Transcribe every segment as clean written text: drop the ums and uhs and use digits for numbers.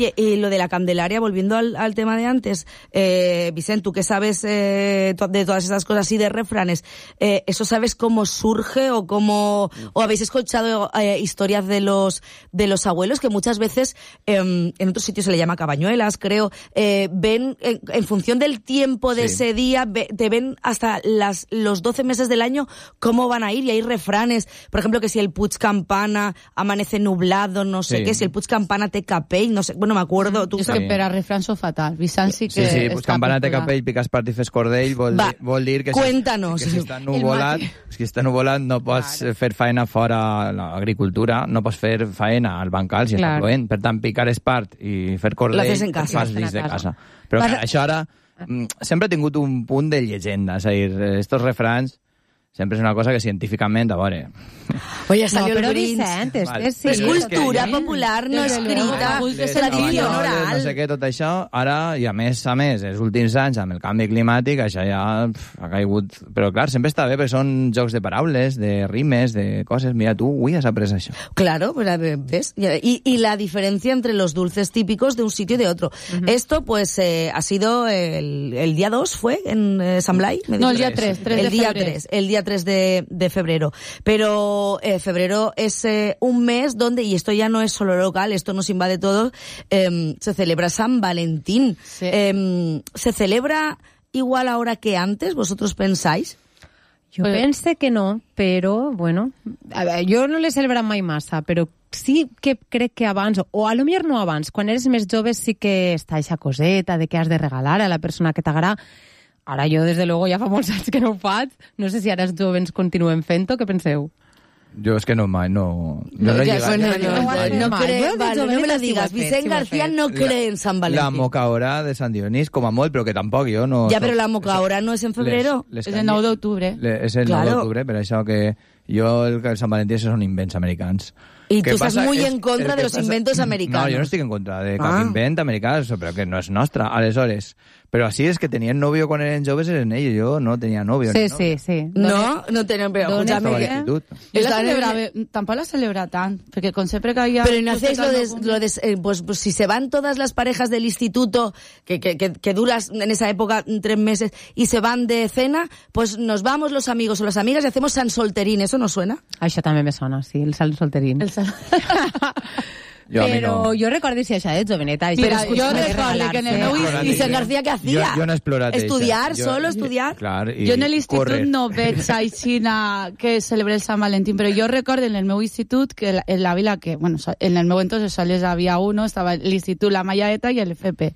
Oye, y lo de la Candelaria, volviendo al tema de antes, Vicent, tú que sabes de todas estas cosas y de refranes, ¿eso sabes cómo surge o habéis escuchado historias de los abuelos que muchas veces en otros sitios se le llama cabañuelas, creo, ven en función del tiempo de ese día, te ven hasta los 12 meses del año cómo van a ir, y hay refranes, por ejemplo, que si el Puig Campana amanece nublado, no sé qué, si el Puig Campana té capell, no sé, bueno, me acuerdo. És que per a refrans són fatal. Vicent sí que... Sí, Puig Campana té capell, piques part i fes cordell, vol dir que si està nuvolat no pots fer faena fora l'agricultura, no pots fer faena al bancal si està plovent. Per tant, picar espart i fer cordell fas dins de casa. Però això ara sempre ha tingut un punt de llegenda, és a dir, estos refrans sempre és una cosa que científicament, a veure... Oye, salió el Vicent, sí. És cultura popular, no escrita, és tradició oral. No sé què, tot això, ara, i a més, els últims anys, amb el canvi climàtic, això ja ha caigut... Però clar, sempre està bé, perquè són jocs de paraules, de rimes, de coses. Mira, tu avui has après això. Claro, ¿ves? Y la diferencia entre los dulces típicos de un sitio y de otro. Esto, pues, ha sido el día 2, ¿fue? ¿En San Blai? No, el día 3 de febrero. El día 3 de febrero. Pero febrero es un mes donde, y esto ya no es solo local, esto nos invade todo, se celebra San Valentín. Sí. ¿Se celebra igual ahora que antes? ¿Vosotros pensáis? Jo pense que no, però, bueno, a veure, jo no l'he celebrat mai massa, però sí que crec que abans, o a lo millor no abans, quan eres més jove sí que està eixa coseta de què has de regalar a la persona que t'agrada. Ara jo, des de luego, ja fa molts anys que no ho faig. No sé si ara els joves continuem fent-ho. Què penseu? Jo és que no mai, no creo, no me lo digas. Vicent García no cree en San Valentín. La mocaora de Sant Dionís, com a molt, però que tampoc jo no... Ja, però la mocaora no és en febrero. És el 9 d'octubre. És el 9 d'octubre, per això que jo el Sant Valentí són invents americans. Y tú estás muy en contra de los inventos americanos. No, yo no estoy en contra de cap invent americano, pero que no es nostra, aleshores. Pero así es que tenían novio cuando eran joves, eren ellos. Yo no tenía novio. Sí. No tenían, pero escúchame. Tampoco la celebra tant, porque con siempre que había... Pero no hacéis pues si se van todas las parejas del instituto, que duras en esa época 3 meses, y se van de cena, pues nos vamos los amigos o las amigas y hacemos San Solterín. ¿Eso no suena? Això també me sona, sí, el San Solterín. Pero yo recuerdo si esa de joveneta. Mira, yo recuerdo que en el meu institut... Vicent García, què hacía? Jo no he explorat estudiar, solo estudiar. Clar, jo en l'institut no veig aixina que celebre el Sant Valentín, però jo recordo en el meu institut que en la vila que, bueno, en el meu entonces sols havia uno, estava l'institut La Mallaeta i el FP.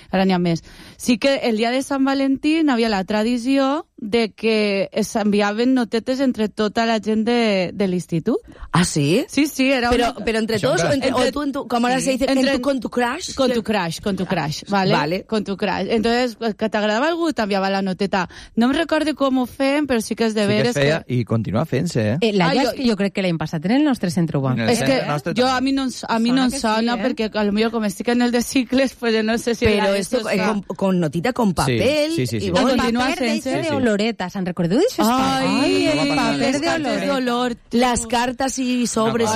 Ara n'hi ha més. Sí que el dia de Sant Valentín havia la tradició de que s'enviaven notetes entre tota la gent de l'institut. ¿Ah, sí? Sí, era pero entre todos, o tú, como ahora se dice, con tu crush. Con tu crush, ¿vale? Con tu crush. Entonces, que t'agradava algú, t'enviava la noteta. No em recordo com ho fem, però sí que és de veres que... I continua fent-se, jo crec que l'any passat en el nostre centre urbà. És que a mi no em sona, perquè potser com estic en el de cicles, pues no sé si... Pero esto con notita, con papel... Sí. Y bueno, continua fent-se de oloreta. ¿Se'n recordeu d'això? Ai, el paper de olor. Las cartas y sobres.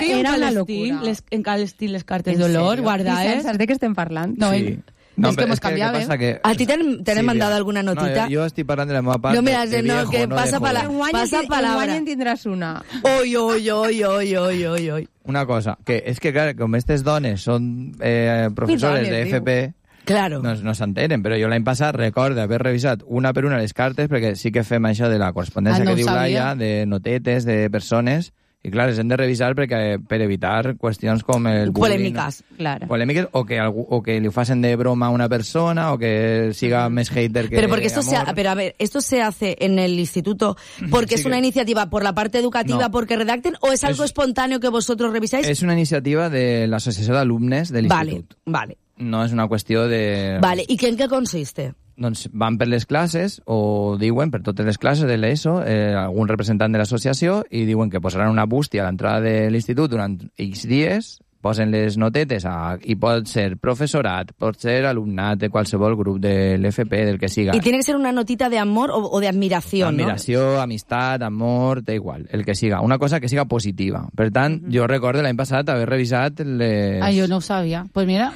Era una locura. En cada estil les cartes d'olor, guardades. ¿Saps de què estem parlant? No, es que hemos cambiado, ¿eh? ¿A ti te han mandado alguna notita? No, yo estoy parlant de la meva part. No, mira, que pasa palabra. En tindràs una. Oi. Una cosa, que és que, clar, com aquestes dones són professores de FP... Claro. No s'entenen, però jo l'any passat recordo haver revisat una per una les cartes, perquè sí que fem això de la correspondència que diu Laia, de notetes, de persones, i clar, les hem de revisar per evitar qüestions com el bullying. Polèmiques, o que li ho facin de broma a una persona, o que siga més hater que porque amor. Pero a ver, ¿esto se hace en el instituto porque es una iniciativa por la parte educativa, porque redacten, o es algo espontáneo que vosotros revisáis? És una iniciativa de l'Associació d'Alumnes de l'Institut. Vale. No és una qüestió de... Vale, i en què consiste? Doncs van per les classes, o diuen per totes les classes de l'ESO, algun representant de l'associació, i diuen que posaran una bústia a l'entrada de l'institut durant X dies, posen les notetes, i pot ser professorat, pot ser alumnat de qualsevol grup de l'FP, del que siga. I tiene que ser una notita de amor o de admiració, ¿no? Admiració, amistat, amor, da igual, el que siga. Una cosa que siga positiva. Per tant, jo recordo l'any passat haver revisat les... jo no ho sabia. Pues mira,